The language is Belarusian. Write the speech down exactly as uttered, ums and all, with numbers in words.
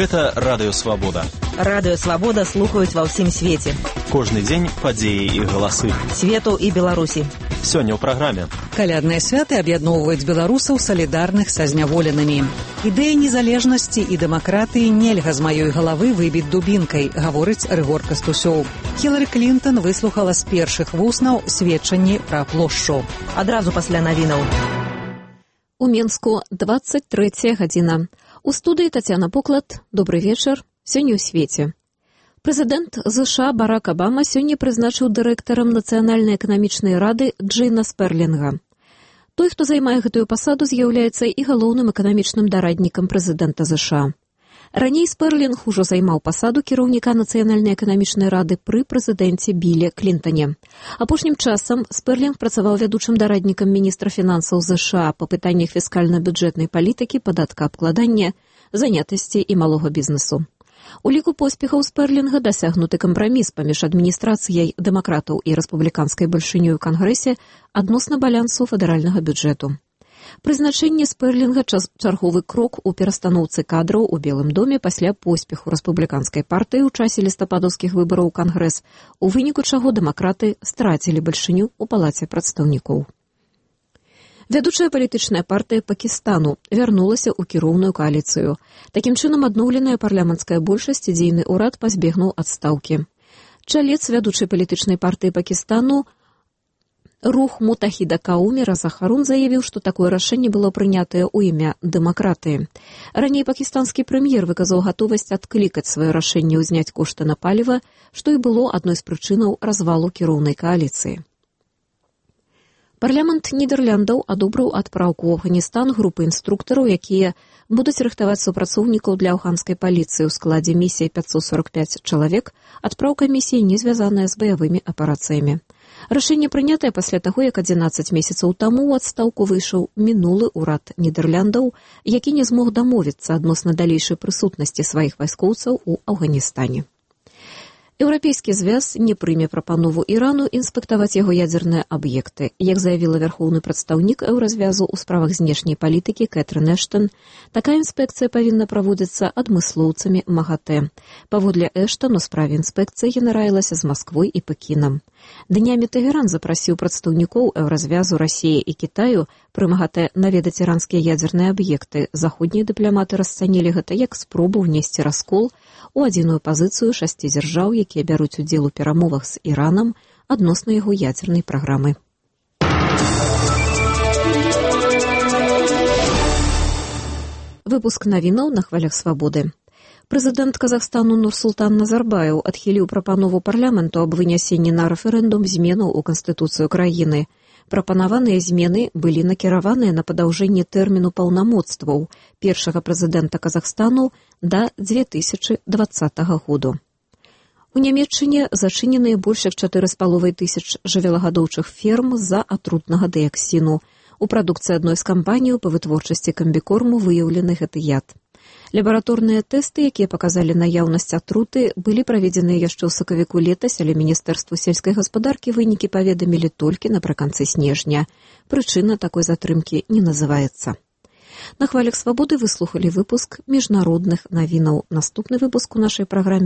Гэта Радыё Свабода. Радыё Свабода слухаюць ва ўсім свеце. Кожны дзень падзеі і галасы. Свету і Беларусі. Сёння ў праграме. Калядныя святы аб'ядноўваюць беларусаў салідарных са зняволенымі. Ідэя незалежнасці і дэмакратыі нельга з маёй галавы выбіць дубінкай, гаворыць Рыгор Кастусёў. Хілары Клінтон выслухала з першых вуснаў сведчанні пра плошчу. Адразу пасля навінаў. У Менску двадцать третья гадзіна. У студыі Тацяна Поклад. Добрый вечар. Сёння ў свеце. Прэзідэнт ЗША Барак Абама сёння прызначыў дырэктарам Нацыянальнай эканамічнай рады Джэйна Сперлінга. Той, хто займае гэтую пасаду, з'яўляецца і галоўным эканамічным дараднікам прэзідэнта ЗША. Раней Сперлінг ужо займаў пасаду кіраўніка Нацыянальнай эканамічнай рады пры прэзідэнце Біллі Клінтане. Апошнім часам Сперлінг працаваў вядучым дараднікам міністра фінансаў ЗША па пытаннях фіскальна-бюджэтнай палітыкі, падаткаабкладання, занятасці і малога бізнесу. У ліку поспехаў Сперлінга дасягнуты кампраміс паміж адміністрацыяй дэмакратаў і рэспубліканскай бальшынёй у Кангрэсе адносна балансу федэральнага бюджэту. Прызначэнне Сперлінга – чарговы крок у перастаноўцы кадраў у Белым доме пасля поспеху рэспубліканскай партыі ў часе лістападаўскіх выбараў у Кангрэс, у выніку чаго дэмакраты страцілі бальшыню ў палаце прадстаўнікоў. Вядучая палітычная партыя Пакістану вярнулася ў кіроўную коаліцыю. Такім чынам адноўленая парламенцкая большасць і дзейны ўрад пазбегнуў адстаўкі. Чалец вядучай палітычнай партыі Пакістану Рух Мутахіда Кауми Раза Харун заявіў, што такое рашэнне было прынятае ў імя дэмакратыі. Раней пакістанскі прэм'ер выказаў гатовасць адклікаць сваё рашэнне ўзняць кошты на паліва, што і было адной з прычынаў развалу кіроўнай коаліцыі. Парламент Нідэрляндаў адобрыў адпраўку ў Афганістан групы інструктараў, якія будуць рыхтаваць супрацоўнікаў для афганскай паліцыі ў складзе місіі пятьсот сорок пять чалавек, адпраўка місіі не звязаная з баявымі аперацыямі. Рашэнне прынятае пасля таго, як адзінаццаць месяцаў таму ў адстаўку выйшаў мінулы ўрад Нідэрляндаў, які не змог дамовіцца адносна далейшай прысутнасці сваіх вайскоўцаў у Афганістане. Еўрапейскі звяз не прыме прапанову Ірану інспектаваць яго ядзерныя аб'екты. Як заявіла вярхоўны прадстаўнік еўразвязу ў справах знешняй палітыкі Кэтрын Эштон, такая інспекцыя павінна праводзіцца адмыслоўцамі МАГАТЭ. Паводле Эштон у справе інспекцыі яна раілася з Масквой і Пекінам. Днямі Тэгеран запрасіў прадстаўнікоў еўразвязу Расіі і Кітаю пры МАГАТЭ наведаць іранскія ядзерныя аб'екты. Заходнія дыпламаты расцанілі гэта як спробу ўнесці раскол у адзіную пазіцыю шасці дзяржаў, якія бяруць удзел у перамовах з Іранам адносна яго ядзернай праграмы. Выпуск навінаў на хвалях свабоды. Прэзідэнт Казахстану Нурсултан Назарбаев адхіліў прапанову парламенту аб вынясенні на рэферэндум зменаў у Канстытуцыю краіны. Прапанаваныя змены былі накіраваныя на падаўжэнне тэрміну паўнамоцтваў першага прэзідэнта Казахстану да дзве тысячы дваццатага году. У Нямецчыне зачыненыя больш як чатыры з паловай тысяч жывёлагадоўчых ферм з-за атрутнага дыяксіну. У прадукцыі адной з кампаній па вытворчасці камбікорму выяўлены гэты яд. Лабараторныя тэсты, якія паказалі наяўнасць атруты, былі праведзеныя яшчэ ў сакавіку летась, але Міністэрству сельскай гаспадаркі вынікі паведамілі толькі напрыканцы снежня. Прычына такой затрымкі не называецца. На хвалях свабоды выслухалі выпуск міжнародных навінаў. Наступны выпуск у нашай праграме